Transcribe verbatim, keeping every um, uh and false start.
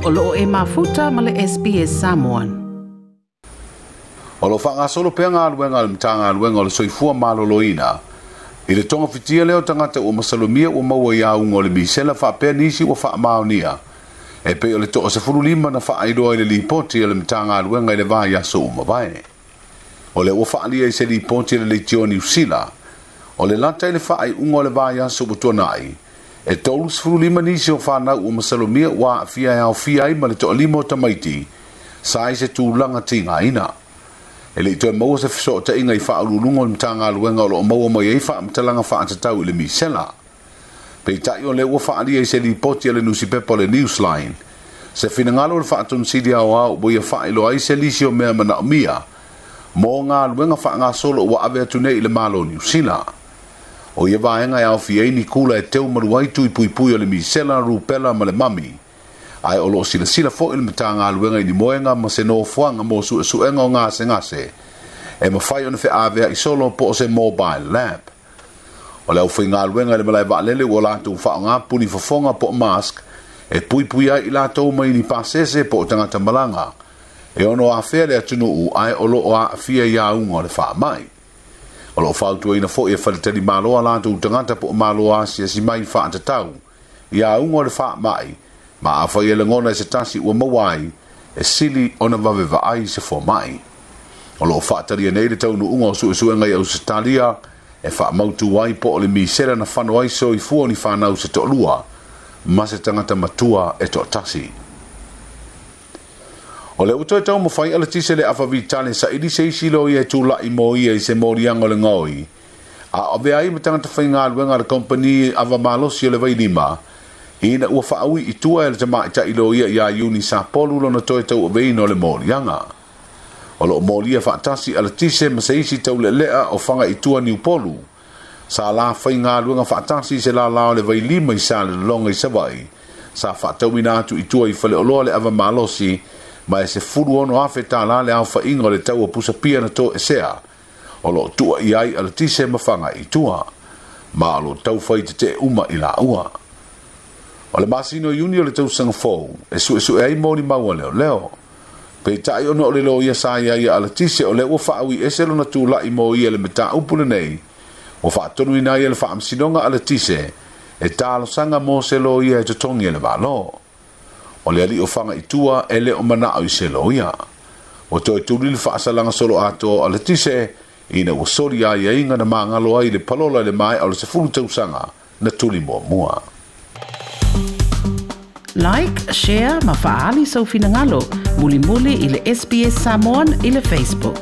O loo e mafuta ma le S B S Samoan. O lo whangasolo pea ngā luenga le mtanga luenga o le soifua maloloina. I le tonga fitia leo tangata ua masalomia ua maua i aunga o le misela whaapea nisi ua whaamaonia. E pe o le toa se fulu lima na whaailoa i le lipoti o le mtanga luenga i le vai aso umawae. O le ua whaalia i se lipoti le leitio Niu Sila. O le lata i le whaai unga o le vai aso utuanai. E tolu sefulu lima nisi o whanau ua masalomia ua afia e aufia ai ma le toa lima o tamaiti. Sa i se tūlanga tinga ina. E le itoe maua se fiso ta inga i whaaululunga o le mtanga luenga o lo maua mai ei whaamtalanga whaatatau i le misela. Pe tai o le ua whaalia i se lipoti a le nusipepa o le Newsline. Se finangalo o le whaatunsidi au au bo ia whailo ai se lisi o mea manaomia. Mō ngā luenga whaangasolo ua ave atu nei i le malo Niu Sila. O ia vaenga e awhi ei ni kula e teu maruai tui pui pui o le misela, rupela ma le mami. Ai o lo sila sila fo il mtanga luenga i ni moenga ma se nofoanga mo su suenga o ngase ngase. E mawhai o na whe awea i solo po o se mobile lab. O le au whai ngā luenga le malai waalele ua lātou wha ngā puni whafonga po mask e pui pui ai i lātou mai ni pasese po o tangata malanga. E ono a whea le atunu u ai o lo o a whia i a unga o le wha mai. O lo whautua ina fo e whalitari maloa lātou tangata po o maloa asia si mai whaatatau. I a unga o le wha mai. Ma a whai ele ngona e se tasi ua mawai e sili ona wawe vaai se fo mai. O lo whaataria nei le taunu unga o suesuenga i Australia e wha mautu ai po o le misela na whano ai so i fua ni whanau se to'lua ma se tangata matua e to'tasi. O le uto e tau mawhai ala tise le afa vitale sa ili se isi lo ia e tūlai mo ia i se morianga o le ngoi. A ove ai ma tangata whainga luenga le kompani awa malosi o le vailima ina ua whaaui i tua e le tamai ta ilo ia ia Iuni sa polu lona toe tau aveino le morianga. O lo moria whaatasi ala tise ma se isi tau le lea o whanga i tua ni upolu. Sa la whainga luenga whaatasi se la lao le vailima i sa le longa i sawai. Sa whaatauina atu i tua i whale oloa le awa malosi ma e se furu ono afe tā la le au whainga o le tau o pusapia na tō esea. O lo tua i ai ala tise ma whanga i tua. Ma o lo tau whai te te uma i la ua. O le masino Iuni o le tausaga fou, e suesue ai moni maua leo leo. Pe tai ono o le loia sa ia ia ala tise o le ua whaaui ese lona tūlai mo ia le meta upule nei. O whaatonu ina ia le whaamsinonga ala tise, e tālosanga mo se loia e totongi e le valo. O le ali o whanga i tua e le o manao i se loia. O toi tūri le whaasalanga solo atoa ala tise, ina ua sori ai ia inga na maangalo ai le palola le mai o le sefulu tausaga na tuli mua mua. Like, share, ma faali sau finangalo, muli muli i le S B S Samoan i le Facebook.